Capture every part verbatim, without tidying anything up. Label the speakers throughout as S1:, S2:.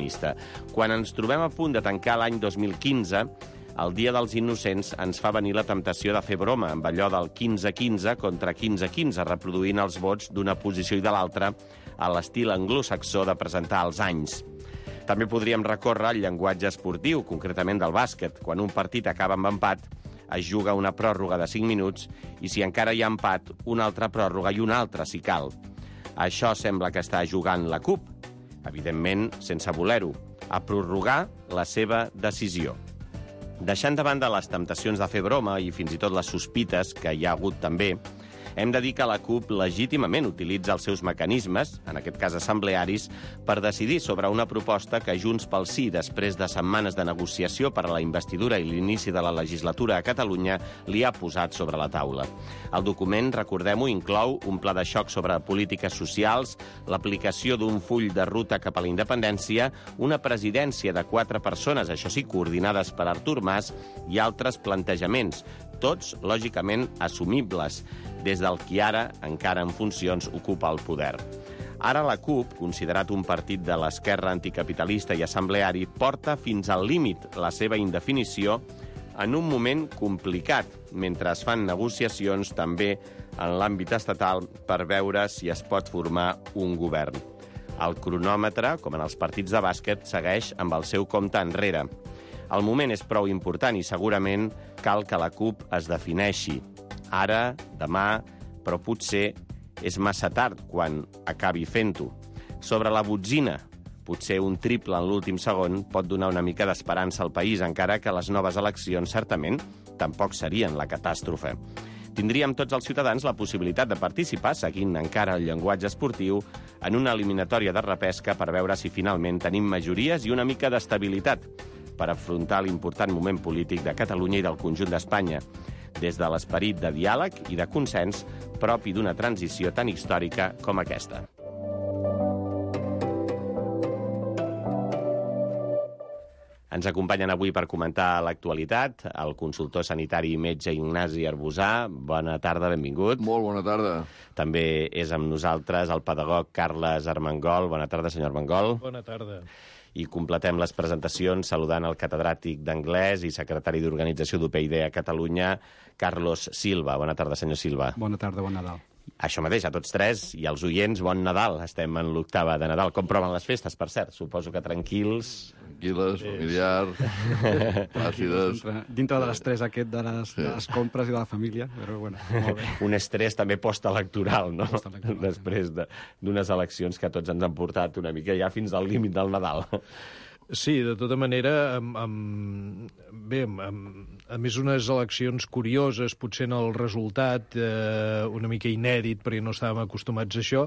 S1: catalanista. Quan ens trobem a punt de tancar l'any dos mil quinze, el Dia dels Innocents ens fa venir la temptació de fer broma amb allò del quinze quinze contra quinze quinze, reproduint els vots d'una posició i de l'altra a l'estil anglosaxó de presentar els anys. També podríem recórrer al llenguatge esportiu, concretament del bàsquet. Quan un partit acaba amb empat, es juga una pròrroga de cinc minuts i si encara hi ha empat, una altra pròrroga i una altra, si cal. Això sembla que està jugant la CUP, evidentment sense voler-ho, a prorrogar la seva decisió. Deixant de banda les temptacions de fer broma i fins i tot les sospites que hi ha hagut també, hem de dir que la CUP legítimament utilitza els seus mecanismes, en aquest cas assemblearis, per decidir sobre una proposta que Junts pel Sí, després de setmanes de negociació per a la investidura i l'inici de la legislatura a Catalunya, li ha posat sobre la taula. El document, recordem-ho, inclou un pla de xoc sobre polítiques socials, l'aplicació d'un full de ruta cap a la independència, una presidència de quatre persones, això sí, coordinades per Artur Mas, i altres plantejaments, tots, lògicament, assumibles, des del qui ara, encara en funcions, ocupa el poder. Ara la CUP, considerat un partit de l'esquerra anticapitalista i assembleari, porta fins al límit la seva indefinició en un moment complicat, mentre es fan negociacions també en l'àmbit estatal per veure si es pot formar un govern. El cronòmetre, com en els partits de bàsquet, segueix amb el seu compte enrere. El moment és prou important i segurament cal que la CUP es defineixi. Ara, demà, però potser és massa tard quan acabi fent-ho. Sobre la botzina, potser un triple en l'últim segon pot donar una mica d'esperança al país, encara que les noves eleccions, certament, tampoc serien la catàstrofe. Tindríem tots els ciutadans la possibilitat de participar, seguint encara el llenguatge esportiu, en una eliminatòria de repesca per veure si finalment tenim majories i una mica d'estabilitat per afrontar l'important moment polític de Catalunya i del conjunt d'Espanya, des de l'esperit de diàleg i de consens propi d'una transició tan històrica com aquesta. Ens acompanyen avui per comentar l'actualitat el consultor sanitari i metge Ignasi Arbusà. Bona tarda, benvingut.
S2: Molt bona tarda.
S1: També és amb nosaltres el pedagog Carles Armengol. Bona tarda, senyor Armengol.
S3: Bona tarda.
S1: I completem les presentacions saludant el catedràtic d'anglès i secretari d'Organització d'U P y D a Catalunya, Carlos Silva. Bona tarda, senyor Silva.
S4: Bona tarda, bon Nadal.
S1: Això mateix, a tots tres, i als oients, bon Nadal. Estem en l'octava de Nadal. Com proven les festes, per cert? Suposo que tranquils.
S2: Tranquil·les, familiars, plàcides.
S4: Dintre de l'estrès aquest de les, sí. de les compres i de la família, però bueno, molt bé.
S1: Un estrès també postelectoral, no?
S4: Postelectoral.
S1: Després d'unes eleccions que tots ens han portat una mica ja fins al límit del Nadal.
S3: Sí, de tota manera, amb, amb, bé, amb, a més unes eleccions curioses, potser en el resultat eh, una mica inèdit, perquè no estàvem acostumats a això,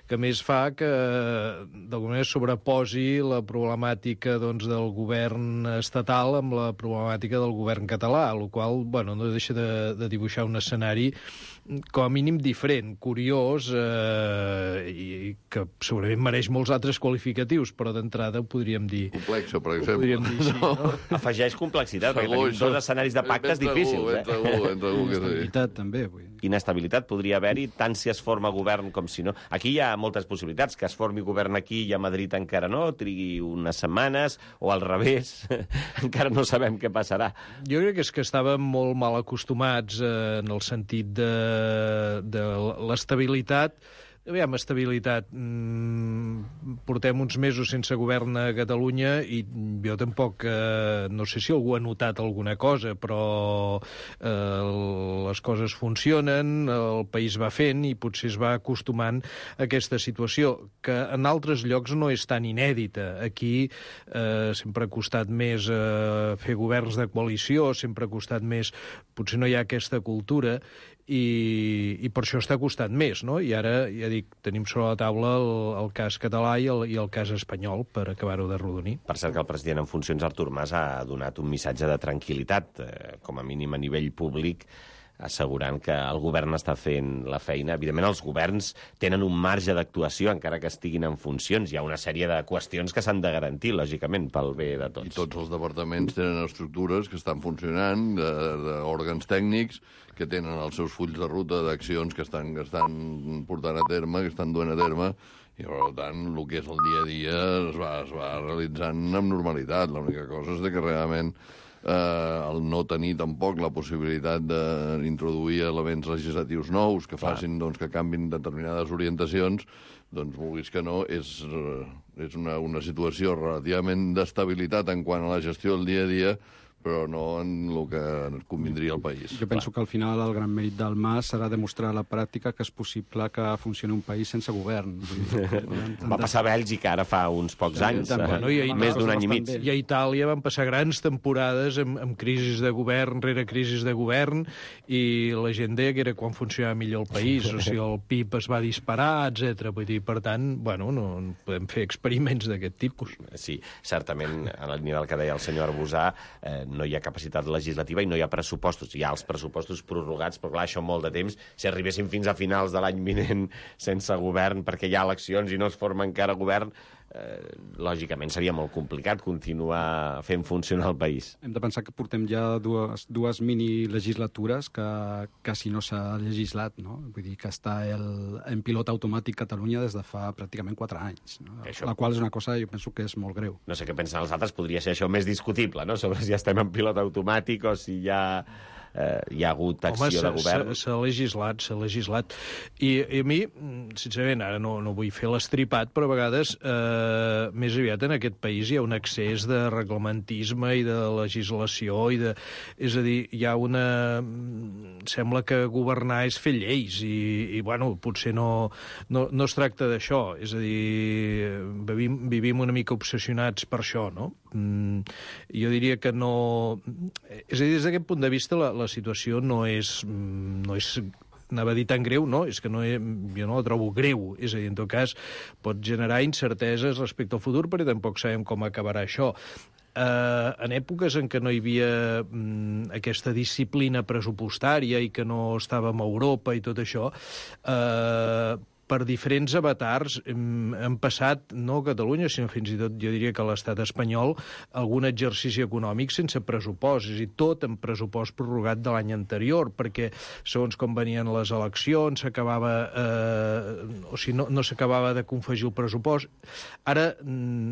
S3: que més fa que d'alguna manera sobreposi la problemàtica doncs, del govern estatal amb la problemàtica del govern català, el qual bueno, no deixa de, de dibuixar un escenari com a mínim diferent, curiós, eh, i que segurament mereix molts altres qualificatius, però d'entrada ho podríem dir...
S2: Complexa, per exemple.
S3: Ho podríem dir així, no? no?
S1: Afegeix complexitat, perquè tenim dos escenaris de pactes difícils.
S2: Ben segur, ben segur que sí.
S4: Inestabilitat, també. Vull.
S1: Inestabilitat podria haver-hi, tant si es forma govern com si no. Aquí hi ha moltes possibilitats, que es formi govern aquí i a Madrid encara no, trigui unes setmanes, o al revés, encara no sabem què passarà.
S3: Jo crec que és que estàvem molt mal acostumats eh, en el sentit de, de l'estabilitat. Aviam, estabilitat. Mm, portem uns mesos sense govern a Catalunya i jo tampoc, eh, no sé si algú ha notat alguna cosa, però eh, les coses funcionen, el país va fent i potser es va acostumant a aquesta situació, que en altres llocs no és tan inèdita. Aquí eh, sempre ha costat més eh, fer governs de coalició, sempre ha costat més... Potser no hi ha aquesta cultura i, i per això està costant més, no? I ara, ja dic, tenim sobre la taula el, el cas català i el, i el cas espanyol per acabar-ho de rodonir.
S1: Per cert que el president en funcions, Artur Mas, ha donat un missatge de tranquil·litat, eh, com a mínim a nivell públic, assegurant que el govern està fent la feina. Evidentment, els governs tenen un marge d'actuació, encara que estiguin en funcions. Hi ha una sèrie de qüestions que s'han de garantir, lògicament, pel bé de tots.
S2: I tots els departaments tenen estructures que estan funcionant, d'òrgans tècnics, que tenen els seus fulls de ruta d'accions que estan, que estan portant a terme, que estan duent a terme, I, per tant, el que és el dia a dia es va, es va realitzant amb normalitat. L'única cosa és que realment eh, el no tenir tampoc la possibilitat d'introduir elements legislatius nous que facin doncs, que canvin determinades orientacions, doncs, vulguis que no, és, és una, una situació relativament d'estabilitat en quant a la gestió del dia a dia, però no en el que convindria al país.
S4: Jo penso que al final el gran mèrit del Mas serà demostrar a la pràctica que és possible que funcioni un país sense govern.
S1: Va passar a Bèlgica ara fa uns pocs anys,
S3: també,
S1: eh?
S3: no? I a
S1: Més d'un any i mig.
S3: I a Itàlia van passar grans temporades amb, amb crisis de govern rere crisis de govern, i la gent deia que era quan funcionava millor el país, o sigui, el P I B es va disparar, etcètera. Vull dir, per tant, bueno, no, no podem fer experiments d'aquest tipus.
S1: Sí, certament, al nivell que deia el senyor Arbusà, eh, no hi ha capacitat legislativa i no hi ha pressupostos. Hi ha els pressupostos prorrogats, però clar, això molt de temps. Si arribéssim fins a finals de l'any vinent sense govern perquè hi ha eleccions i no es forma encara govern, eh, lògicament seria molt complicat continuar fent funcionar el país.
S4: Hem de pensar que portem ja dues, dues mini-legislatures que quasi no s'ha legislat, no? Vull dir que està el, en pilot automàtic Catalunya des de fa pràcticament quatre anys, no?
S1: Això...
S4: La qual és una cosa, jo penso que és molt greu.
S1: No sé què pensen els altres, podria ser això més discutible, no?, sobre si estem en pilot automàtic o si hi ha... Eh, hi ha hagut acció
S3: Home,
S1: de govern.
S3: S'ha legislat, s'ha legislat. I, I a mi, sincerament, ara no, no vull fer l'estripat, però a vegades, eh, més aviat en aquest país hi ha un excés de reglamentisme i de legislació, i de... és a dir, hi ha una... Sembla que governar és fer lleis, i, i bueno, potser no, no, no es tracta d'això. És a dir, vivim, vivim una mica obsessionats per això, no? Mm, jo diria que no... És a dir, des d'aquest punt de vista, la, la situació no és, no és, anava a dir tan greu, no, és que no, jo no la trobo greu, és a dir, en tot cas pot generar incerteses respecte al futur, perquè tampoc sabem com acabarà això. Uh, en èpoques en què no hi havia um, aquesta disciplina pressupostària i que no estàvem a Europa i tot això, uh, per diferents avatars hem, hem passat, no a Catalunya, sinó fins i tot, jo diria que a l'estat espanyol, algun exercici econòmic sense pressupost, és a dir, tot en pressupost prorrogat de l'any anterior, perquè segons com venien les eleccions, s'acabava, eh, o sigui, no, no s'acabava de confegir el pressupost. Ara,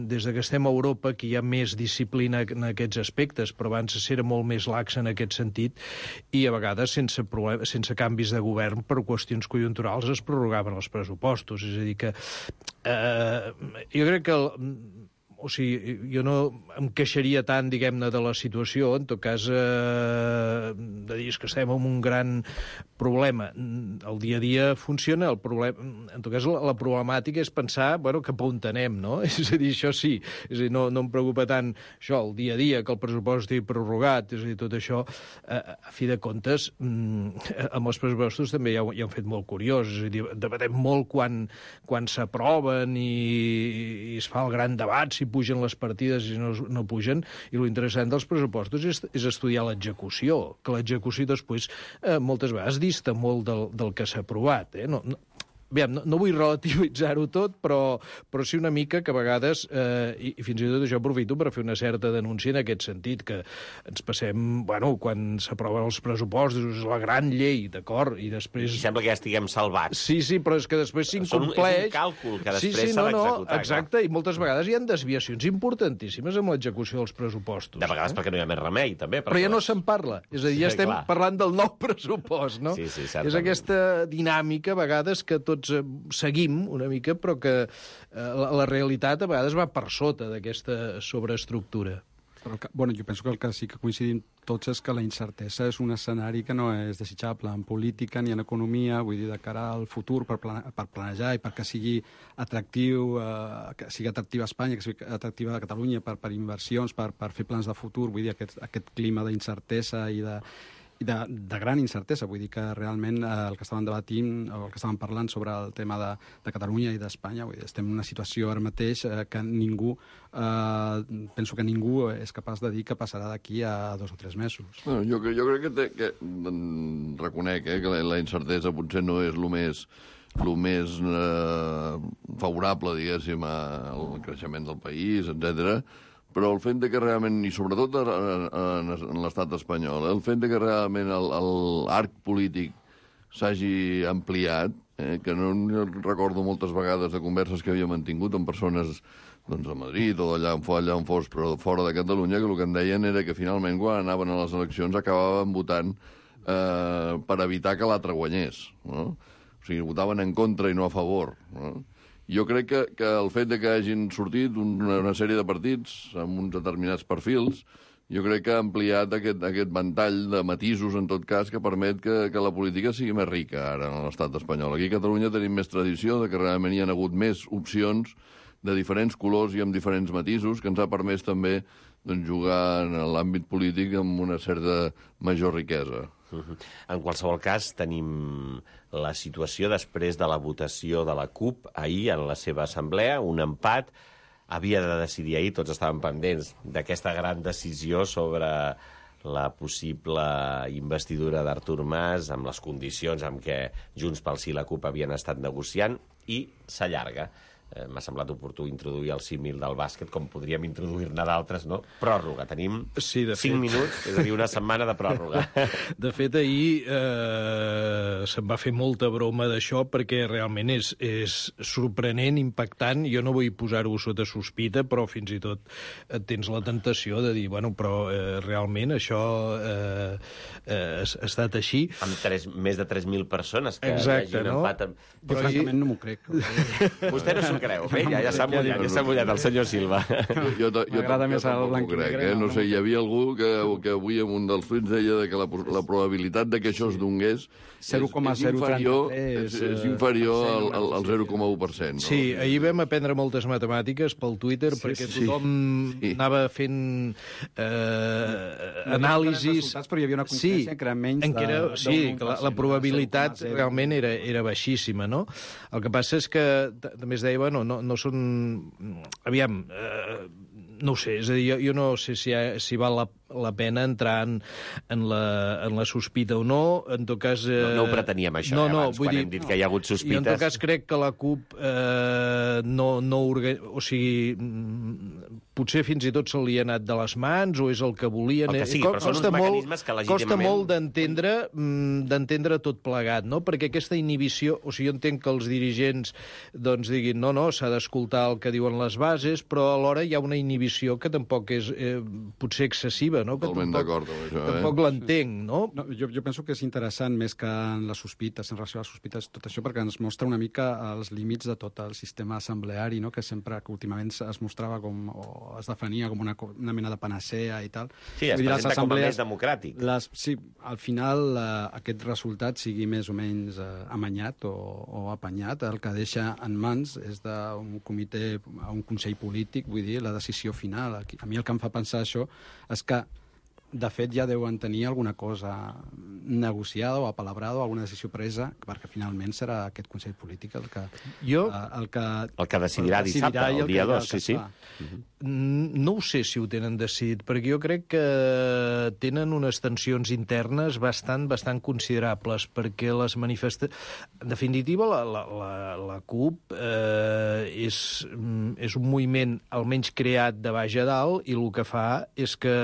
S3: des que estem a Europa, que hi ha més disciplina en aquests aspectes, però abans era molt més lax en aquest sentit, i a vegades sense, problem, sense canvis de govern per qüestions conjunturals es prorrogaven els pressupostos. pressupostos, és a dir que eh, jo crec que el, o sigui, jo no em queixaria tant, diguem-ne, de la situació, en tot cas, eh, de dir que estem en un gran problema. El dia a dia funciona, el problema, en tot cas, la, la problemàtica és pensar, bueno, cap on anem, no? És a dir, això sí, és a dir, no, no em preocupa tant això, el dia a dia, que el pressupost estigui prorrogat, és a dir, tot això, eh, a fi de comptes, amb els pressupostos també ja, ja han fet molt curiós, és a dir, debatem molt quan, quan s'aproven i, i es fa el gran debat, si pugen les partides i no, no pugen, i l'interessant dels pressupostos és, és estudiar l'execució, que l'execució després eh, moltes vegades dista molt del, del que s'ha aprovat. Eh? No, no, Aviam, no, no vull relativitzar-ho tot, però, però sí una mica que a vegades, eh, i, i fins i tot això aprofito per fer una certa denúncia en aquest sentit, que ens passem, bueno, quan s'aproven els pressupostos, és la gran llei, d'acord, i després...
S1: I sembla que ja estiguem salvats.
S3: Sí, sí, però és que després s'incompleix...
S1: És un càlcul que després
S3: sí, sí,
S1: s'ha
S3: no,
S1: d'executar.
S3: No, exacte, clar. I moltes vegades hi ha desviacions importantíssimes amb l'execució dels pressupostos.
S1: De vegades eh? perquè no hi ha més remei, també.
S3: Però ja no se'n parla, és a dir, ja sí, estem clar. parlant del nou pressupost, no?
S1: Sí, sí, certament.
S3: És aquesta dinàmica, a vegades, que tots seguim una mica, però que eh, la, la realitat a vegades va per sota d'aquesta sobreestructura.
S4: Però que, bueno, jo penso que el que sí que coincidim tots és que la incertesa és un escenari que no és desitjable en política ni en economia, vull dir, de cara al futur, per, plane, per planejar i perquè sigui atractiu, eh, que sigui atractiva a Espanya, que sigui atractiva a Catalunya per, per inversions, per, per fer plans de futur, vull dir, aquest, aquest clima d'incertesa i de i de, de gran incertesa, vull dir que realment eh, el que estaven debatint o el que estaven parlant sobre el tema de, de Catalunya i d'Espanya, vull dir, estem en una situació ara mateix eh, que ningú, eh, penso que ningú és capaç de dir que passarà d'aquí a dos o tres mesos.
S2: Bueno, jo, jo crec que, té, que reconec eh, que la, la incertesa potser no és el més el més eh, favorable, diguéssim, al creixement del país, etcètera. Però el fet de que realment, i sobretot en l'estat espanyol, el fet de que realment l'arc polític s'hagi ampliat eh, que no, no recordo moltes vegades de converses que havia mantingut amb persones doncs, a Madrid o allà on, allà on fos, però fora de Catalunya, que el que em deien era que finalment quan anaven a les eleccions acabaven votant eh, per evitar que l'altre guanyés. No? O sigui, votaven en contra i no a favor. No? Jo crec que, que el fet de que hagin sortit una, una sèrie de partits amb uns determinats perfils, jo crec que ha ampliat aquest, aquest ventall de matisos, en tot cas, que permet que, que la política sigui més rica ara en l'estat espanyol. Aquí a Catalunya tenim més tradició de que realment hi ha hagut més opcions de diferents colors i amb diferents matisos, que ens ha permès també doncs, jugar en l'àmbit polític amb una certa major riquesa.
S1: En qualsevol cas, tenim la situació després de la votació de la CUP ahir en la seva assemblea, un empat. Havia de decidir ahir, tots estaven pendents d'aquesta gran decisió sobre la possible investidura d'Artur Mas amb les condicions amb què Junts pel Sí i la CUP havien estat negociant, i s'allarga. Eh, M'ha semblat oportú introduir el símil del bàsquet, com podríem introduir-ne d'altres, no? Pròrroga. Tenim
S3: sí, de
S1: cinc
S3: fet.
S1: minuts, és a dir, una setmana de pròrroga.
S3: De fet, ahir eh, se'n va fer molta broma d'això perquè realment és, és sorprenent, impactant. Jo no vull posar-ho sota sospita, però fins i tot tens la tentació de dir, bueno, però eh, realment això eh, eh, ha estat així.
S1: Amb tres, més de tres mil persones que
S3: Exacte,
S1: hi hagi un
S3: no?
S1: empat. Amb...
S4: Jo, francament, no m'ho crec.
S1: Vostè no s'ho creu. Bé, ja, ja s'ha mullat, ja s'ha mullat el senyor Silva.
S2: Jo, jo, jo,
S4: M'agrada
S2: jo
S4: més el
S2: tampoc
S4: blanc
S2: ho
S4: i
S2: crec,
S4: negre,
S2: eh?
S4: no,
S2: No
S4: no.
S2: sé, hi havia algú que, que avui en un dels tuits deia de que la, la probabilitat de que això es donés
S4: zero coma
S2: és,
S4: zero
S2: és inferior,
S4: trenta-tres,
S2: és, és inferior al, al, al
S4: sí.
S2: zero coma u per cent. No?
S3: Sí, ahir vam aprendre moltes matemàtiques pel Twitter,
S4: Sí,
S3: perquè
S4: sí.
S3: tothom
S2: Sí.
S3: anava fent eh, anàlisis...
S4: Resultats, però hi havia una coincidència que era menys
S3: en què era,
S4: de-
S3: sí,
S4: d'un
S3: que la,
S4: un per cent,
S3: la probabilitat
S4: zero coma zero.
S3: realment era, era baixíssima, no? El que passa és que t- també es deia, bueno, no, no són... Aviam, eh, no ho sé, és a dir, jo, jo no sé si, ha, si val la, la pena entrar en, en, la, en la sospita o no, en tot cas... Eh,
S1: No, no ho preteníem, això,
S3: no,
S1: eh,
S3: no,
S1: abans,
S3: vull
S1: quan
S3: dir,
S1: hem dit que hi ha hagut
S3: i en
S1: sospites.
S3: tot cas crec que la CUP eh, no, no orga... o sigui, mm, potser fins i tot se li ha anat de les mans o és el que volien.
S1: El que sigui,
S3: Co-
S1: però són uns
S3: costa
S1: mecanismes que
S3: Costa
S1: legítimament-
S3: molt d'entendre mm, d'entendre tot plegat, no? Perquè aquesta inhibició... O sigui, jo entenc que els dirigents doncs diguin no, no, s'ha d'escoltar el que diuen les bases, però alhora hi ha una inhibició que tampoc és eh, potser excessiva, no? Que
S2: Totalment
S3: tampoc,
S2: d'acord amb això, eh?
S3: tampoc l'entenc, no?
S4: No, jo, jo penso que és interessant més que en les sospites, en relació a les sospites, tot això, perquè ens mostra una mica els límits de tot el sistema assembleari, no? Que sempre, que últimament es mostrava com, o es defenia com una, co- una mena de panacea i tal.
S1: Sí, es
S4: Vull dir, les
S1: presenta com a
S4: assemblees-
S1: més democràtic.
S4: Les, sí, al final eh, aquest resultat sigui més o menys eh, amanyat o, o apanyat, el que deixa en mans és d'un comitè, un consell polític, vull dir, la decisió final. Aquí- A mi el que em fa pensar això és que de fet, ja deuen tenir alguna cosa negociada o apalabrada o alguna decisió presa, perquè finalment serà aquest Consell Polític el que...
S3: Jo-
S4: eh, el que,
S1: El que decidirà
S4: el que
S1: dissabte,
S4: i
S1: el
S4: que-
S1: dia
S4: el
S1: dos,
S4: que
S1: sí, sí.
S4: es fa.
S3: Mm, No ho sé si ho tenen decidit, perquè jo crec que tenen unes tensions internes bastant bastant considerables, perquè les manifestacions... En definitiva, la, la, la, la CUP eh, és, mm, és un moviment almenys creat de baix a dalt i el que fa és que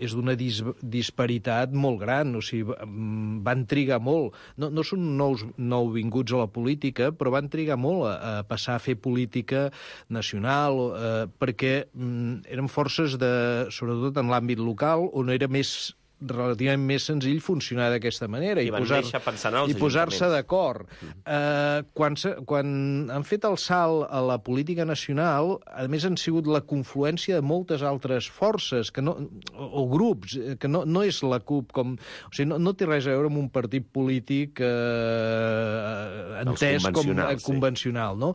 S3: és d'una dis disparitat molt gran, o sigui, mm, van trigar molt. No, no són nous nouvinguts a la política, però van trigar molt a, a passar a fer política nacional, eh, perquè mm, eren forces, de, sobretot en l'àmbit local, on era més relativament més senzill funcionar d'aquesta manera
S1: I
S3: i
S1: van
S3: posar-
S1: néixer pensant en els
S3: i posar-se
S1: ajuntaments.
S3: d'acord. Eh, quan, se, quan han fet el salt a la política nacional, a més han sigut la confluència de moltes altres forces que no, o, o grups, eh, que no, no és la CUP com... O sigui, no, no té res a veure amb un partit polític eh, entès com
S1: convencionals,
S3: eh,
S1: sí.
S3: convencional, no?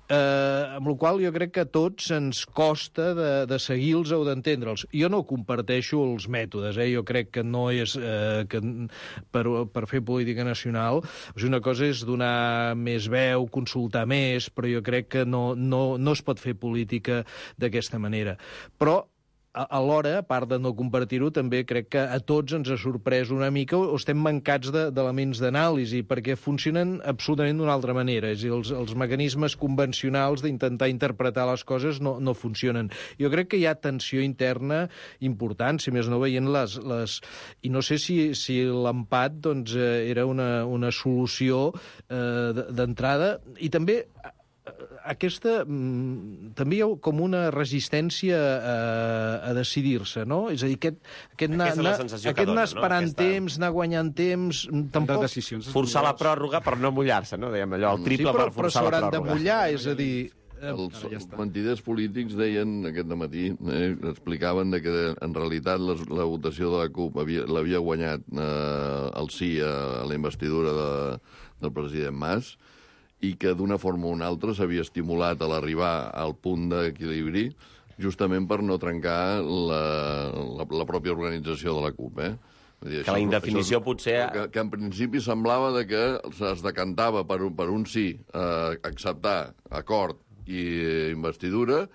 S3: Eh, amb la qual jo crec que a tots ens costa de, de seguir-los o d'entendre'ls. Jo no comparteixo els mètodes, eh? Jo crec que no és eh, que per, per fer política nacional. O sigui, una cosa és donar més veu, consultar més, però jo crec que no, no, no es pot fer política d'aquesta manera. Però alhora, a part de no compartir-ho, també crec que a tots ens ha sorprès una mica o estem mancats d'elements d'anàlisi, perquè funcionen absolutament d'una altra manera. És a dir, els, els mecanismes convencionals d'intentar interpretar les coses no, no funcionen. Jo crec que hi ha tensió interna important, si més no veient les... les... I no sé si, si l'empat doncs, era una, una solució eh, d'entrada, i també aquesta... també hi ha com una resistència a, a decidir-se, no? És a dir, aquest, aquest, anar, aquest anar esperant no? temps, anar guanyant temps... Tampoc...
S1: Forçar la pròrroga per no mullar-se, no? Dèiem allò, el triple
S3: sí, però,
S1: per forçar la pròrroga.
S3: Però s'hauran de mullar, és a dir...
S2: Els ja mentiders polítics deien aquest matí, eh, explicaven de que en realitat les, la votació de la CUP l'havia guanyat eh, el sí a la investidura de, del president Mas, i que d'una forma o una altra s'havia estimulat a l'arribar al punt d'equilibri justament per no trencar la, la, la pròpia organització de la CUP, eh? Dir,
S1: que la indefinició
S2: això,
S1: potser...
S2: Que, que en principi semblava de que es decantava per un, per un sí, eh, acceptar, acord i investidura,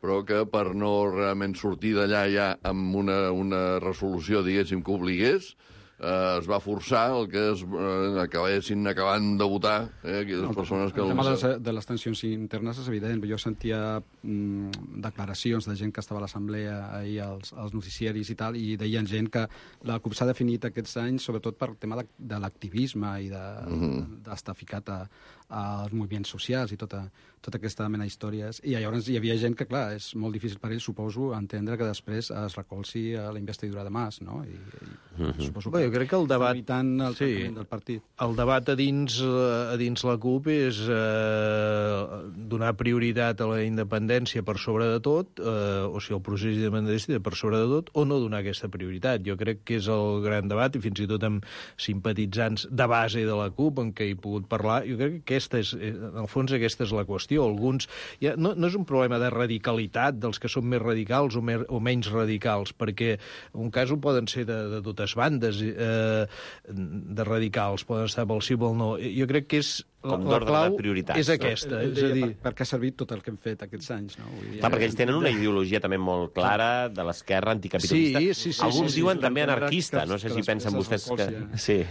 S2: però que per no realment sortir d'allà ja amb una, una resolució, diguéssim, que obligués, eh, es va forçar el que es eh, acabessin acabant de votar eh, aquelles no, persones que...
S4: El tema de les, de les tensions internes és evident. Jo sentia mm, declaracions de gent que estava a l'assemblea ahir als, als noticiaris i tal, i deien gent que la CUP s'ha definit aquests anys sobretot per tema de, de l'activisme i d'estar de, mm -hmm. ficat a, als moviments socials i tota, tota aquesta mena d'històries. I llavors hi havia gent que, clar, és molt difícil per ells, suposo, entendre que després es recolzi a la investidura de Mas, no? I, i
S3: mm-hmm.
S4: suposo
S3: que, Bé, jo crec que el debat...
S4: el
S3: sí,
S4: del partit.
S3: El debat a dins, a dins la CUP és eh, donar prioritat a la independència per sobre de tot, eh, o sigui, el procés independentista per sobre de tot, o no donar aquesta prioritat. Jo crec que és el gran debat, i fins i tot amb simpatitzants de base de la CUP, en què he pogut parlar, jo crec que aquesta és, en el fons aquesta és la qüestió. Alguns, ja, no, no és un problema de radicalitat dels que són més radicals o, mer, o menys radicals, perquè en un cas ho poden ser de, de totes bandes eh, de radicals, poden estar pel sí o pel no. Jo crec que és la, la clau és aquesta.
S4: No?
S3: És a dir...
S4: per, per què ha servit tot el que hem fet aquests anys, no? Vull dir,
S1: Clar, perquè ells tenen una ideologia també molt clara de l'esquerra anticapitalista.
S3: Sí, sí, sí,
S1: Alguns
S3: sí, sí,
S1: diuen
S3: sí,
S1: també
S3: sí,
S1: anarquista,
S4: que,
S1: no sé
S4: que
S1: si pensen vostès que... Sí.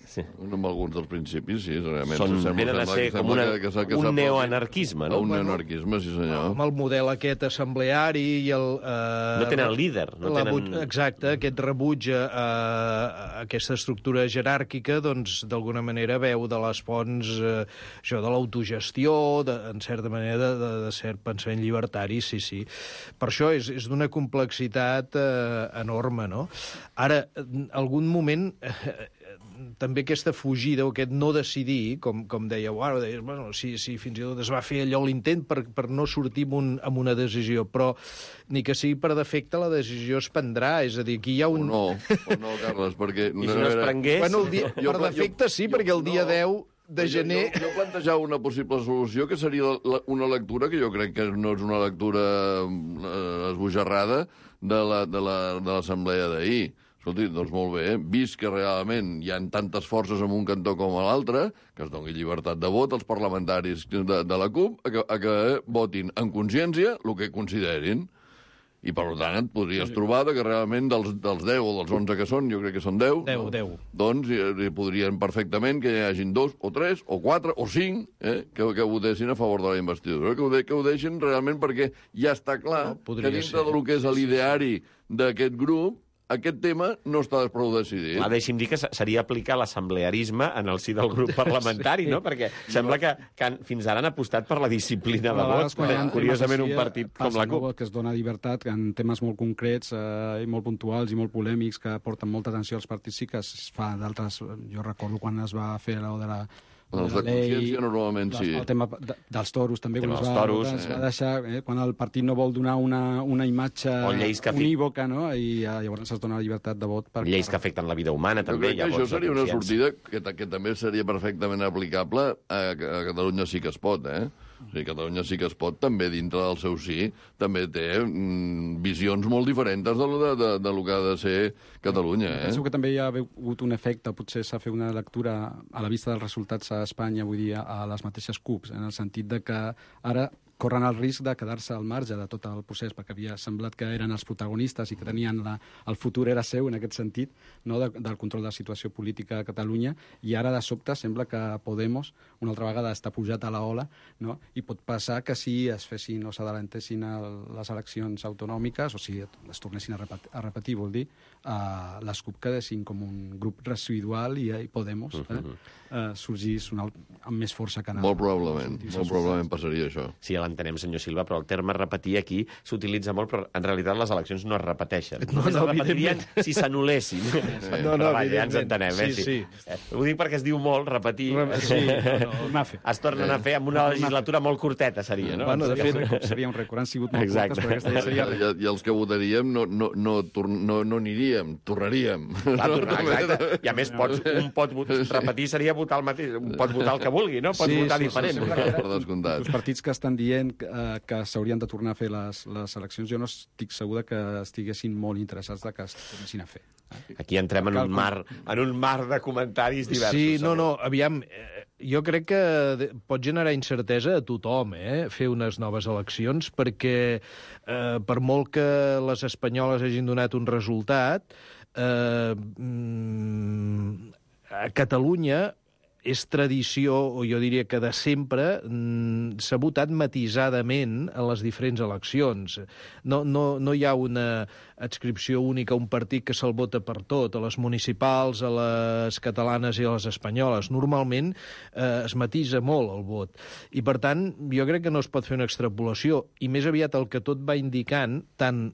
S2: Sí. Amb alguns dels principis, sí, realment.
S1: Són,
S2: sembla,
S1: venen a
S2: sembla,
S1: ser com una, que, que, que un neoanarquisme, no?
S2: Un neoanarquisme, sí senyor.
S3: Amb el model aquest assembleari i el... Eh,
S1: no tenen líder. No tenen...
S3: Exacte, aquest rebuig a, a aquesta estructura jeràrquica, doncs, d'alguna manera veu de les fonts eh, això de l'autogestió, en certa manera, de, de, de cert pensament llibertari, sí, sí. Per això és, és d'una complexitat eh, enorme, no? Ara, en algun moment... Eh, també aquesta fugida o aquest no decidir, com, com dèieu ara, deies, bueno, si, si fins i tot es va fer allò l'intent per, per no sortir amb, un, amb una decisió, però ni que sigui per defecte la decisió es prendrà, és a dir, aquí hi ha un...
S2: O no, o no, Carles, perquè...
S1: I si no es prengués...
S3: Bueno, el dia, jo, per defecte sí, jo, perquè el dia no, deu de gener...
S2: Jo, jo plantejava una possible solució que seria la, una lectura que jo crec que no és una lectura eh, esbojarrada de l'assemblea la, de d'ahir. Escolti, doncs molt bé, vist que realment hi ha tantes forces en un cantó com a l'altre, que es doni llibertat de vot als parlamentaris de, de la CUP a que, a que votin en consciència el que considerin. I, per tant, et podries trobar que realment dels, dels deu o dels onze que són, jo crec que són deu,
S3: deu, deu.
S2: doncs hi podrien perfectament que hi hagin dos o tres o quatre o cinc eh, que, que votessin a favor de la investidura, que ho, de, que ho deixin realment perquè ja està clar no, que dintre ser. del que és l'ideari d'aquest grup aquest tema no està prou decidit.
S1: Ah, deixi'm dir que seria aplicar l'assemblearisme en el si del grup parlamentari, sí. no? Perquè sembla que, que han, fins ara han apostat per la disciplina de vot. Curiosament, un partit com la CUP.
S4: Que es dona llibertat en temes molt concrets eh, i molt puntuals i molt polèmics que porten molta atenció als partits, sí que es fa d'altres... Jo recordo quan es va fer allò de la...
S2: Els de consciència normalment sí.
S4: El tema de, dels toros també, quan es va,
S1: toros,
S4: es
S1: eh.
S4: va deixar, eh, quan el partit no vol donar una, una imatge unívoca, no? I uh, llavors es dona la llibertat de vot. Per,
S1: lleis
S4: per...
S1: que afecten la vida humana,
S2: jo
S1: també.
S2: Crec que això seria una sortida que, que també seria perfectament aplicable a, a Catalunya sí que es pot, eh? O sigui, Catalunya sí que es pot, també dintre del seu sí, també té mm, visions molt diferents de, de, de, de lo que ha de ser Catalunya. Eh?
S4: Penso que també hi ha hagut un efecte, potser s'ha fet una lectura a la vista dels resultats a Espanya, vull dir, a les mateixes CUPs, en el sentit de que ara corren el risc de quedar-se al marge de tot el procés, perquè havia semblat que eren els protagonistes i que tenien la, el futur era seu en aquest sentit, no, de, del control de la situació política a Catalunya, i ara de sobte sembla que Podemos una altra vegada està pujat a la ola, no? I pot passar que si es fessin o s'adelantessin les eleccions autonòmiques, o si es tornessin a repetir, a repetir vol dir, uh, les CUP quedessin com un grup residual i, i Podemos eh, uh, sorgís un alt, amb més força que anava.
S2: Molt probablement, molt probablement passaria això.
S1: Sí, ja l'entenem, senyor Silva, però el terme repetir aquí s'utilitza molt, però en realitat les eleccions no es repeteixen.
S3: No,
S1: Només
S3: no,
S1: es repetirien si s'anul·lessin. Sí. No, no, vaja, ja ens entenem, eh?
S3: Sí, sí.
S1: Eh, ho dic perquè es diu molt, repetir.
S3: Sí, no, no.
S1: Es tornen a fer amb una legislatura molt curteta, seria, no?
S3: Bueno, de fet,
S4: seria un rècord. Han sigut molt
S1: Exacte.
S4: curtes, perquè aquesta ja seria
S2: I, i els que votaríem no, no, no, no, no aniríem, tornaríem.
S1: Clar, tornar, exacte. I a més, pots, un pot repetir seria votar el mateix, un pot votar el que vulgui, no? Pots
S4: Sí,
S1: votar
S4: sí,
S1: diferent.
S4: sí,
S2: Per descomptat.
S4: Els partits que estan dient eh, que s'haurien de tornar a fer les, les eleccions, jo no estic segur que estiguessin molt interessats de que es tornessin a fer.
S1: Aquí entrem en un mar, en un mar de comentaris diversos.
S3: Sí, no,
S1: segur.
S3: no, aviam, eh, jo crec que de- pot generar incertesa a tothom, eh, fer unes noves eleccions, perquè eh, per molt que les espanyoles hagin donat un resultat, eh, mm, a Catalunya és tradició, o jo diria que de sempre, mm, s'ha votat matisadament en les diferents eleccions. No, no, no hi ha una adscripció única a un partit que se'l vota per tot, a les municipals, a les catalanes i a les espanyoles. Normalment eh, es matisa molt el vot. I, per tant, jo crec que no es pot fer una extrapolació. I més aviat el que tot va indicant, tant,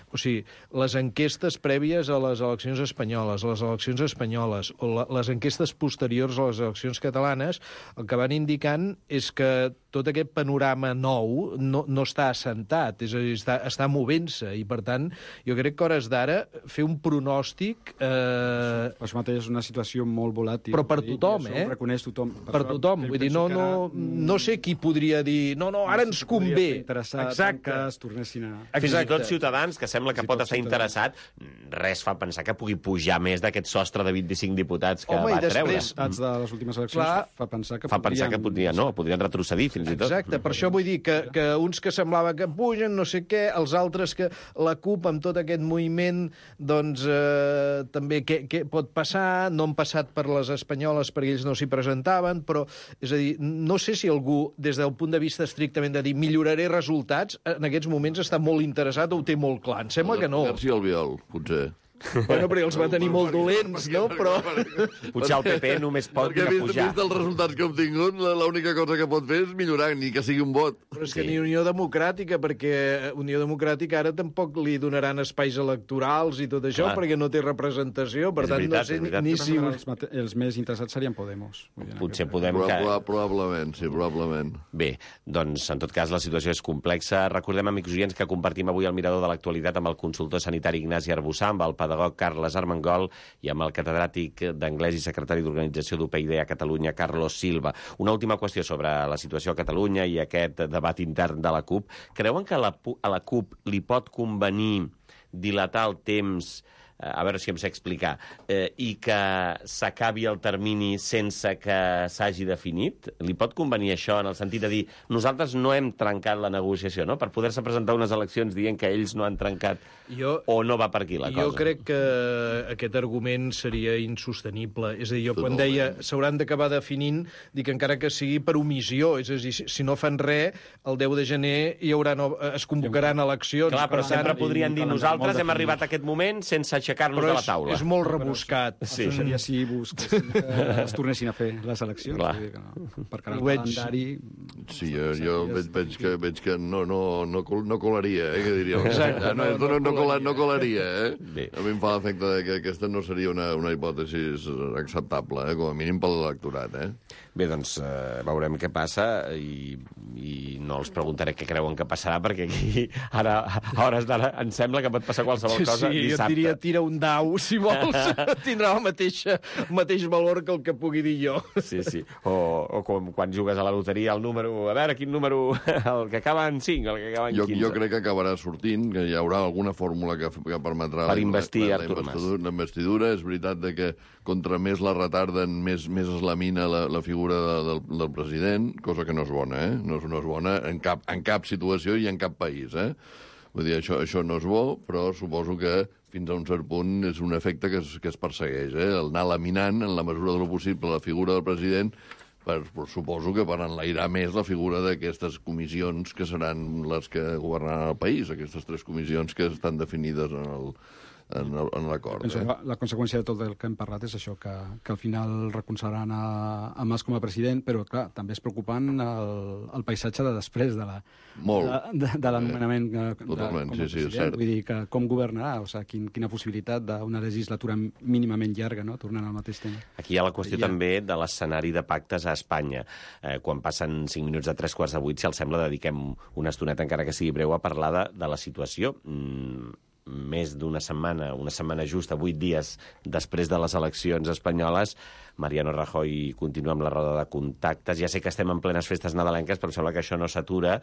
S3: o sigui, les enquestes prèvies a les eleccions espanyoles, a les eleccions espanyoles, o la, les enquestes posteriors a les eleccions catalanes, el que van indicant és que tot aquest panorama nou no, no està assentat, és a dir, està, està movent-se, i per tant, jo crec que a hores d'ara fer un pronòstic... Eh...
S4: Per això mateix és una situació molt volàtil.
S3: Però per
S4: i
S3: tothom,
S4: això
S3: eh?
S4: ho reconeix tothom.
S3: Per tothom, vull dir, no, no, no sé qui podria dir, no, no, ara ens convé.
S4: Exacte. Que es tornessin a...
S1: Fins i
S3: Exacte.
S1: tot Ciutadans, que sembla que
S4: Fins i
S1: pot
S4: tot
S1: estar
S4: Ciutadans.
S1: interessat, res fa pensar que pugui pujar més d'aquest sostre de vint-i-cinc diputats que
S3: Home, i
S1: va treure.
S3: després-
S4: Resultats de les últimes eleccions
S3: Clar,
S4: fa pensar que
S1: Fa pensar que podrien, no, podrien retrocedir fins i tot.
S3: Exacte, per això vull dir que, que uns que semblava que pugen, no sé què, els altres que la CUP amb tot aquest moviment, doncs eh, també què, què pot passar, no han passat per les espanyoles perquè ells no s'hi presentaven, però, és a dir, no sé si algú, des del punt de vista estrictament de dir milloraré resultats, en aquests moments està molt interessat o ho té molt clar. Em sembla que no.
S2: García Albiol, potser.
S3: Bueno, perquè els va tenir molt dolents, no? Però...
S1: Potser el P P només pot
S2: Perquè
S1: de
S2: vist,
S1: pujar.
S2: vist els resultats que ha obtingut, la- l'única cosa que pot fer és millorar, ni que sigui un vot.
S3: Però és que
S1: Sí.
S3: ni Unió Democràtica, perquè Unió Democràtica ara tampoc li donaran espais electorals i tot això,
S1: Clar.
S3: perquè no té representació. Per
S1: És
S3: tant,
S1: veritat,
S3: no sé
S1: és veritat.
S3: ni si...
S4: Els, mate- els més interessats serien Podemos. Vull dir, en
S1: Potser
S4: aquest-
S1: podem...
S2: Proba,
S1: Que...
S2: proba, probablement, sí, probablement.
S1: Bé, doncs, en tot cas, la situació és complexa. Recordem, amics oients, que compartim avui el mirador de l'actualitat amb el consultor sanitari Ignasi Arbussà, amb el pedagog Carles Armengol i amb el catedràtic d'anglès i secretari d'organització d'U P I D a Catalunya, Carlos Silva. Una última qüestió sobre la situació a Catalunya i aquest debat intern de la CUP. Creuen que a la, pu- a la CUP li pot convenir dilatar el temps, eh, a veure si em sé explicar, eh, i que s'acabi el termini sense que s'hagi definit? Li pot convenir això en el sentit de dir nosaltres no hem trencat la negociació, no? Per poder-se presentar unes eleccions dient que ells no han trencat
S3: Jo,
S1: o no va per aquí la
S3: jo
S1: cosa?
S3: crec que aquest argument seria insostenible. És a dir, jo quan
S2: Totalment.
S3: deia s'hauran d'acabar definint, dic encara que sigui per omissió. És a dir, si, si no fan res, el deu de gener hi haurà no, es convocaran eleccions.
S1: Clar, però
S3: Per
S1: sempre
S3: tant,
S1: podrien dir
S4: calendari
S1: nosaltres
S4: molt
S1: hem arribat a aquest moment sense aixecar-nos
S3: però
S1: de la
S3: és,
S1: taula.
S3: és molt rebuscat.
S1: Sí.
S4: Això seria si busquessin que es tornessin a fer les eleccions.
S1: Clar.
S4: Vull dir que no. Perquè el
S3: Ho veig.
S4: calendari...
S2: Sí, jo, jo veig, veig, que, veig que no, no, no, col- no colaria, eh, que diríem.
S3: Exacte,
S2: no, no, no, no, cola, no colaria, eh?
S1: Bé.
S2: A mi em fa l'efecte de que aquesta no seria una, una hipòtesi acceptable, eh? Com a mínim per l'electorat, eh?
S1: Bé, doncs eh, veurem què passa i, i no els preguntaré què creuen que passarà perquè aquí ara, a hores d'ara, em sembla que pot passar qualsevol cosa
S3: Sí, jo et
S1: dissabte.
S3: diria tira tira un dau, si vols, tindrà el mateix, el mateix valor que el que pugui dir jo.
S1: Sí, sí. O, o com quan jugues a la loteria, el número... A veure, quin número... El que acaba en cinc, el que acaba en
S2: jo,
S1: quinze.
S2: Jo crec que acabarà sortint, que hi haurà alguna fórmula que, que permetrà...
S1: Per investir
S2: la,
S1: Artur Mas.
S2: La investidura. És veritat de que contra més la retarden, més, més es lamina la, la figura de, del, del president, cosa que no és bona, eh? No és, no és bona en cap, en cap situació i en cap país, eh? Vull dir, això, això no és bo, però suposo que fins a un cert punt és un efecte que es, que es persegueix, eh? El anar laminant, en la mesura del possible, la figura del president, per, per, suposo que per enlairar més la figura d'aquestes comissions que seran les que governaran el país, aquestes tres comissions que estan definides en el, en, el, en l'acord.
S4: Penso
S2: Eh?
S4: que la, la conseqüència de tot el que hem parlat és això, que, que al final recolzaran a, a Mas com a president, però, clar, també és preocupant el, el paisatge de després de la,
S2: Molt.
S4: de, de, de l'anomenament de, de,
S2: Totalment,
S4: com a
S2: sí, sí, és
S4: president.
S2: cert.
S4: Vull dir, que com governarà, o sigui, quin, quina possibilitat d'una legislatura mínimament llarga, no?, tornant al mateix tema.
S1: Aquí hi ha la qüestió
S4: Ja.
S1: també de l'escenari de pactes a Espanya. Eh, quan passen cinc minuts de tres quarts de vuit, si els sembla, dediquem una estoneta, encara que sigui breu, a parlar de, de la situació. Mm, més d'una setmana, una setmana justa, vuit dies després de les eleccions espanyoles, Mariano Rajoy continua amb la roda de contactes. Ja sé que estem en plenes festes nadalenques, però em sembla que això no s'atura.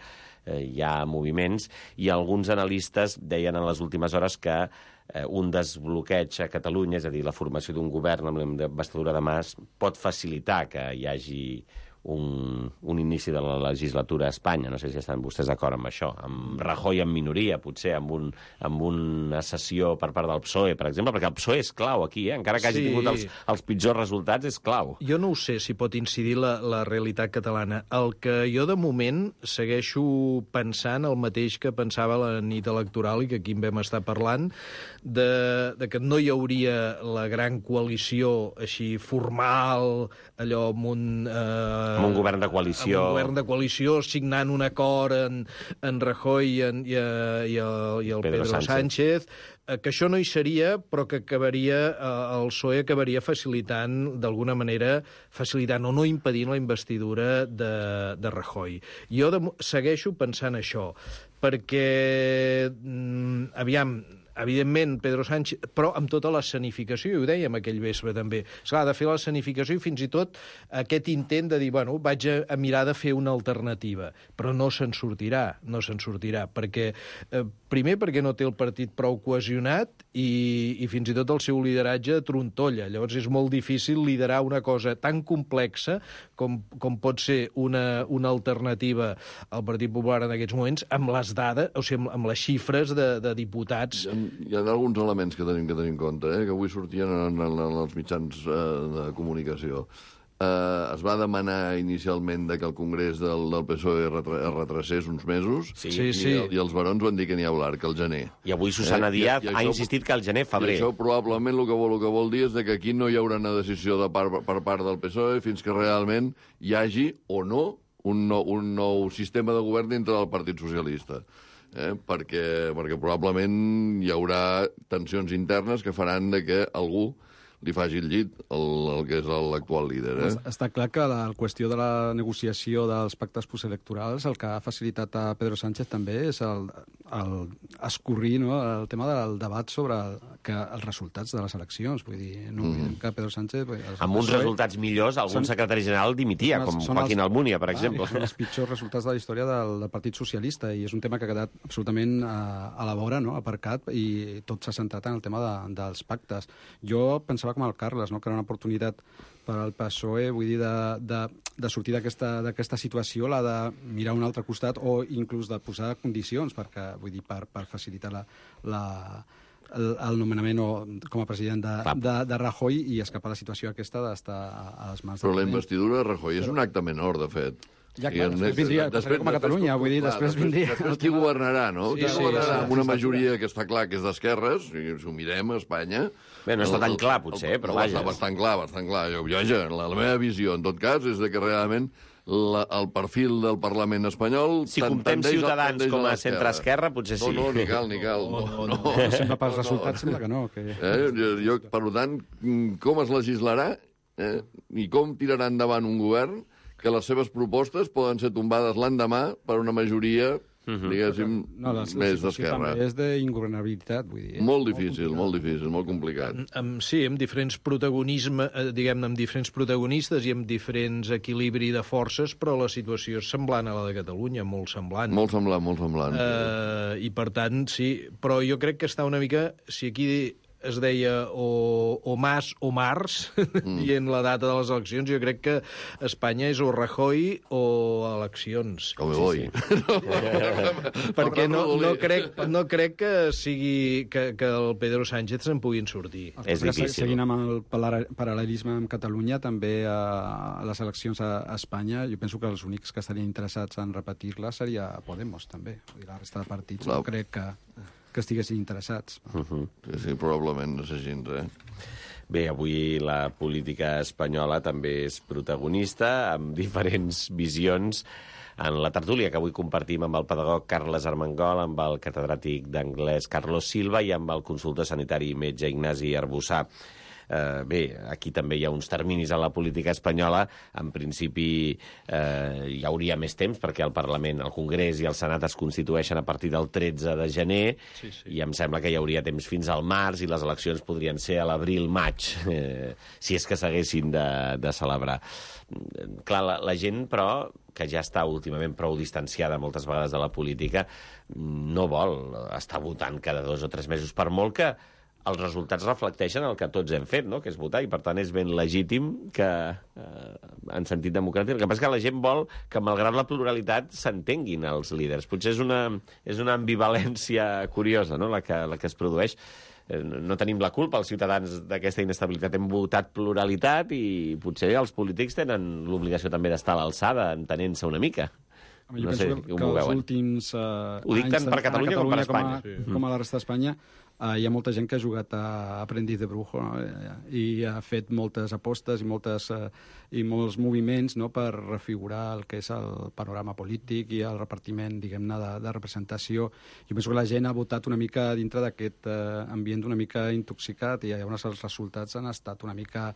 S1: Eh, hi ha moviments, i alguns analistes deien en les últimes hores que eh, un desbloqueig a Catalunya, és a dir, la formació d'un govern amb la investidura de Mas, pot facilitar que hi hagi un, un inici de la legislatura a Espanya. No sé si estan vostès d'acord amb això. Amb Rajoy en minoria, potser, amb, un, amb una sessió per part del P S O E, per exemple, perquè el P S O E és clau aquí, eh? Encara que hagi
S3: Sí.
S1: tingut els, els pitjors resultats, és clau.
S3: Jo no ho sé si pot incidir la, la realitat catalana. El que jo, de moment, segueixo pensant el mateix que pensava la nit electoral i que aquí en vam estar parlant, de, de que no hi hauria la gran coalició així formal, allò amb un... Eh,
S1: Amb un govern de coalició.
S3: Amb un govern de coalició, signant un acord en, en Rajoy i, en, i, eh, i el, i el
S1: Pedro
S3: Pedro,
S1: Sánchez.
S3: Sánchez, eh, que això no hi seria, però que acabaria, eh, el P S O E acabaria facilitant, d'alguna manera, facilitant o no impedint la investidura de, de Rajoy. Jo de, segueixo pensant això, perquè, mm, aviam, evidentment, Pedro Sánchez, però amb tota l'escenificació, i ho dèiem aquell vespre també. Esclar, ha de fer l'escenificació i fins i tot aquest intent de dir, bueno, vaig a, a mirar de fer una alternativa, però no se'n sortirà, no se'n sortirà, perquè, eh, primer, perquè no té el partit prou cohesionat i, i fins i tot el seu lideratge trontolla. Llavors és molt difícil liderar una cosa tan complexa com, com pot ser una, una alternativa al Partit Popular en aquests moments, amb les dades, o sigui, amb, amb les xifres de, de diputats.
S2: Hi ha, hi ha alguns elements que tenim que tenir en compte, eh, que avui sortien en, en, en els mitjans eh, de comunicació. Eh, es va demanar inicialment de que el Congrés del, del P S O E retra, es retracés uns mesos,
S1: Sí,
S3: Sí,
S2: i,
S3: sí.
S2: i els barons van dir que n'hi ha hablar, que el gener.
S1: I avui Susana
S2: Eh, i-
S1: Díaz
S2: i
S1: ha
S2: això-
S1: insistit que el gener,
S2: I
S1: febrer.
S2: això probablement el que, vol, el que vol dir és de que aquí no hi haurà una decisió de part, per part del P S O E fins que realment hi hagi o no un nou, un nou sistema de govern dintre del Partit Socialista. Eh? Perquè, perquè probablement hi haurà tensions internes que faran de que algú li faci el llit el, el que és l'actual líder. Eh?
S4: Està clar que la qüestió de la negociació dels pactes postelectorals el que ha facilitat a Pedro Sánchez també és el, el escorrir, no?, el tema del debat sobre el, que els resultats de les eleccions. Vull dir, no oblidem mm. que Pedro Sánchez... Els,
S1: Amb uns
S4: P S O E
S1: resultats millors, algun
S4: són-
S1: secretari general dimitia,
S4: són els-
S1: com
S4: són
S1: Joaquín
S4: els-
S1: Almunia, per
S4: Ah,
S1: exemple.
S4: són els pitjors resultats de la història del, del Partit Socialista i és un tema que ha quedat absolutament a, a la vora, no?, aparcat, i tot s'ha centrat en el tema de, dels pactes. Jo pensava com el Carles, no?, que era una oportunitat per al P S O E, vull dir, de, de, de sortir d'aquesta situació, la de mirar a un altre costat o inclús de posar condicions perquè, vull dir, per, per facilitar la, la, el, el nomenament o, com a president de, de, de Rajoy i escapar la situació aquesta d'estar a, a les mans
S2: Però la
S4: del president.
S2: investidura de Rajoy és un acte menor, de fet.
S4: Ja, clar,
S2: I en-
S4: després vindria- passaria com a Catalunya, vull dir, després vindria-
S2: Després qui governarà, no?
S3: Sí,
S2: Qui
S3: sí,
S2: governarà
S3: sí,
S2: amb una
S3: sí,
S2: majoria que està clar que és d'esquerres, i si ho mirem a Espanya...
S1: Bé, no està
S2: el-
S1: tan
S2: el-
S1: clar, potser,
S2: el-
S1: però
S2: no,
S1: vaja.
S2: Està bastant clar, bastant clar. Jo, jo, ja, la, la meva visió, en tot cas, és de que realment la, el perfil del Parlament espanyol...
S1: Si
S2: ten-
S1: comptem
S2: tendeix a-
S1: Ciutadans
S2: tendeix
S1: com a
S2: l'esquerra.
S1: centre-esquerra, potser sí.
S2: No, no, ni cal, ni cal. No, no, no,
S4: No, sembla pels resultats, sembla que no. Que...
S2: Eh? Jo, jo, per tant, com es legislarà eh? i com tirarà endavant un govern que les seves propostes poden ser tombades l'endemà per una majoria uh-huh. diguéssim,
S4: no, la,
S2: més
S4: la
S2: d'esquerra.
S4: També és d'ingovernabilitat, vull dir.
S2: Molt difícil, molt, molt difícil, molt complicat.
S3: Amb, sí, amb diferents protagonisme, eh, diguem-ne, amb diferents protagonistes i amb diferents equilibri de forces, però la situació és semblant a la de Catalunya, molt semblant.
S2: Molt semblant, molt semblant.
S3: Eh, I, per tant, sí, però jo crec que està una mica... Si aquí es deia o, o Mas o Mars, mm. dient la data de les eleccions, jo crec que Espanya és o Rajoy o eleccions.
S2: O Boi.
S3: Sí, sí. Perquè no, no, crec, no crec que sigui que, que el Pedro Sánchez se'n puguin sortir.
S1: És difícil.
S4: Seguint amb el paral·lelisme amb Catalunya, també a les eleccions a Espanya, jo penso que els únics que estarien interessats en repetir-la seria Podemos, també. La resta de partits no crec que... que estiguessin interessats.
S2: Uh-huh. Sí, sí, probablement no sé gens, eh?
S1: Bé, avui la política espanyola també és protagonista, amb diferents visions. En la tertúlia que avui compartim amb el pedagog Carles Armengol, amb el catedràtic d'anglès Carlos Silva i amb el consultor sanitari i metge Ignasi Arbussà. Eh, bé, aquí també hi ha uns terminis a la política espanyola. En principi eh, hi hauria més temps perquè el Parlament, el Congrés i el Senat es constitueixen a partir del tretze de gener
S3: sí, sí.
S1: i em sembla que hi hauria temps fins al març i les eleccions podrien ser a l'abril-maig, eh, si és que s'haguessin de, de celebrar. Clar, la, la gent, però, que ja està últimament prou distanciada moltes vegades de la política, no vol estar votant cada dos o tres mesos, per molt que els resultats reflecteixen el que tots hem fet, no? Que és votar, i per tant és ben legítim que, eh, en sentit democràtic, el que passa és que la gent vol que, malgrat la pluralitat, s'entenguin els líders. Potser és una, és una ambivalència curiosa, no?, la que, la que es produeix. Eh, no tenim la culpa, els ciutadans, d'aquesta inestabilitat. Hem votat pluralitat i potser els polítics tenen l'obligació també d'estar a l'alçada, entenent-se una mica.
S4: Jo no penso sé, que, que els últims uh,
S1: Ho dic tant per Catalunya, Catalunya com per Espanya.
S4: Com a, sí. com a la resta d'Espanya, uh, hi ha molta gent que ha jugat a Aprendiz de Brujo, no? I ha fet moltes apostes i, moltes, uh, i molts moviments, no?, per refigurar el que és el panorama polític i el repartiment, diguem-ne, de, de representació. Jo penso que la gent ha votat una mica dintre d'aquest uh, ambient una mica intoxicat i llavors els resultats han estat una mica...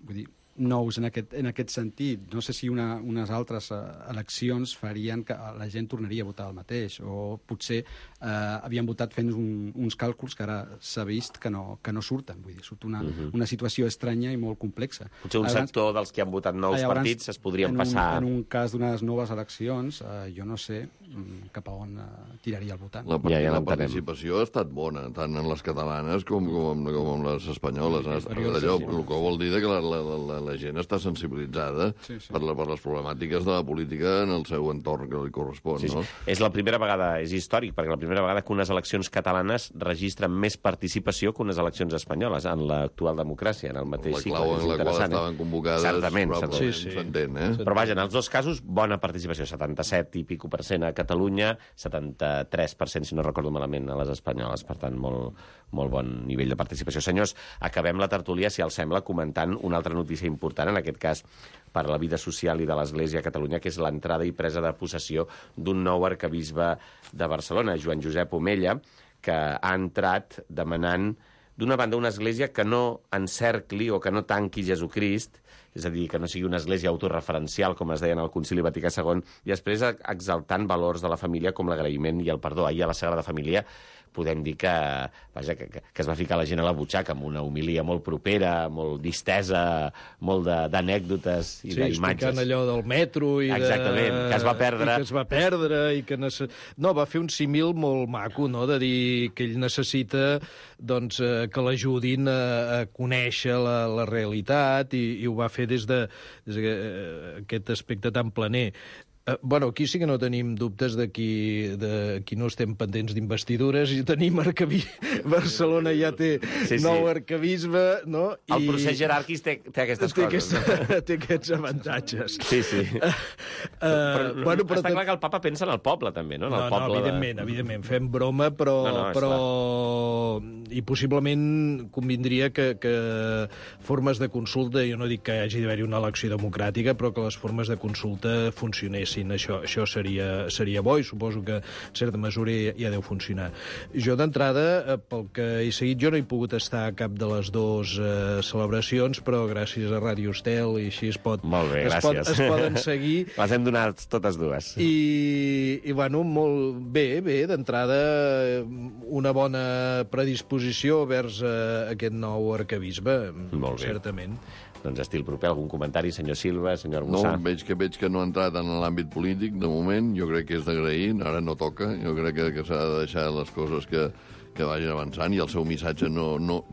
S4: Vull dir, nous en aquest, en aquest sentit. No sé si una, unes altres uh, eleccions farien que la gent tornaria a votar el mateix, o potser uh, havien votat fent un, uns càlculs que ara s'ha vist que no, que no surten. Vull dir, surt una, uh-huh. una situació estranya i molt complexa.
S1: Potser un abans, sector dels que han votat nous llavors, partits es podrien
S4: en
S1: passar...
S4: Un, en un cas d'unes noves eleccions, uh, jo no sé cap a on uh, tiraria el votant.
S2: La, part ja, ja la participació ha estat bona, tant en les catalanes com, com, com en les espanyoles. Sí, sí, allò, sí, sí. El que vol dir que la, la, la, la gent està sensibilitzada sí, sí. Per, la, per les problemàtiques de la política en el seu entorn que li correspon. Sí, sí. No?
S1: És la primera vegada, és històric, perquè la primera vegada que unes eleccions catalanes registren més participació que unes eleccions espanyoles en l'actual democràcia, en el mateix
S2: la
S1: cicle.
S2: La clau en la qual estaven convocades,
S1: certament,
S2: sí,
S1: sí.
S2: s'entén. Eh?
S1: Però vaja, en els dos casos, bona participació, setanta-set i pico per cent a Catalunya, setanta-tres per cent, si no recordo malament, a les espanyoles. Per tant, molt, molt bon nivell de participació. Senyors, acabem la tertúlia, si els sembla, comentant una altra notícia important, en aquest cas per la vida social i de l'Església a Catalunya, que és l'entrada i presa de possessió d'un nou arquebisbe de Barcelona, Joan Josep Omella, que ha entrat demanant, d'una banda, una església que no encercli o que no tanqui Jesucrist, és a dir, que no sigui una església autorreferencial, com es deia en el Concili Vaticà segon, i després exaltant valors de la família com l'agraïment i el perdó. Ahir a la Sagrada Família podem dir que, vaja, que, que es va ficar la gent a la butxaca amb una homilia molt propera, molt distesa, molt d'anècdotes i
S3: sí,
S1: d'imatges.
S3: Sí, explicant allò del metro i de...
S1: Exactament, que es va perdre.
S3: I que es va perdre i que... Nece... No, va fer un símil molt maco, no?, de dir que ell necessita doncs, eh, que l'ajudin a, a conèixer la, la realitat i, i ho va fer des de, des de uh, aquest aspecte tan planer. Uh, bueno, aquí sí que no tenim dubtes de qui, de qui no estem pendents d'investidures i tenim arquebisbe. Barcelona ja té sí, sí. nou arquebisbe, no? I...
S1: El procés jeràrquic té, té aquestes
S3: té
S1: coses.
S3: Aquest, no? Té aquests avantatges.
S1: Sí, sí. Uh, però, bueno, però està clar que el papa pensa en el poble, també, no? En el
S3: no,
S1: poble
S3: no, evidentment,
S1: de...
S3: evidentment. Fem broma, però, no, no, però I possiblement convindria que, que formes de consulta, jo no dic que hagi d'haver-hi una elecció democràtica, però que les formes de consulta funcionessin. Això, això seria, seria bo i suposo que en certa mesura ja deu funcionar. Jo d'entrada, pel que he seguit, jo no he pogut estar a cap de les dues eh, celebracions, però gràcies a Ràdio Estel i així es pot...
S1: Molt bé,
S3: es
S1: gràcies.
S3: Pot, es poden seguir.
S1: Les hem donat totes dues.
S3: I, i bueno, molt bé, bé, d'entrada una bona predisposició vers uh, aquest nou arquebisbe,
S1: Molt bé.
S3: certament.
S1: Doncs estil proper, algun comentari, senyor Silva, senyor
S2: No,
S1: Arbussà?
S2: veig que veig que no ha entrat en l'àmbit polític, de moment. Jo crec que és d'agrair, ara no toca. Jo crec que, que s'ha de deixar les coses que, que vagin avançant i el seu missatge no, no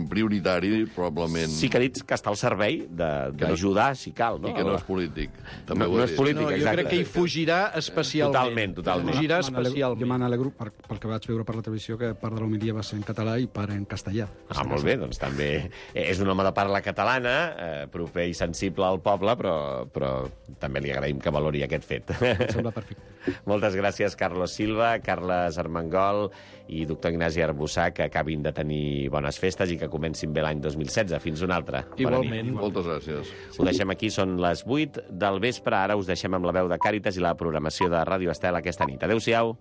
S2: prioritari, probablement...
S1: Sí que ha dit que està al servei d'ajudar, si cal, no?
S2: I que no és polític. També
S1: No,
S2: ho
S1: no
S2: he
S1: és
S2: dit.
S1: polític,
S3: No, jo
S1: exacte.
S3: crec que hi fugirà especialment.
S1: Totalment, totalment.
S3: Fugirà
S4: Me n'alegro-
S3: especialment.
S4: Jo me n'alegro per, pel que vaig veure per la televisió, que part de l'homilia va ser en català i part en castellà.
S1: Ah, molt bé, doncs també és un home de parla catalana, eh, proper i sensible al poble, però, però també li agraïm que valori aquest fet.
S4: Em sembla perfecte.
S1: Moltes gràcies, Carlos Silva, Carles Armengol i doctor Ignasi Arbussà, que acabin de tenir bones festes i que comencin bé l'any dos mil setze. Fins una altra. Bona nit.
S3: Igualment.
S2: Moltes gràcies.
S1: Ho deixem aquí, són les vuit del vespre. Ara us deixem amb la veu de Càritas i la programació de Ràdio Estel aquesta nit. Adéu-siau.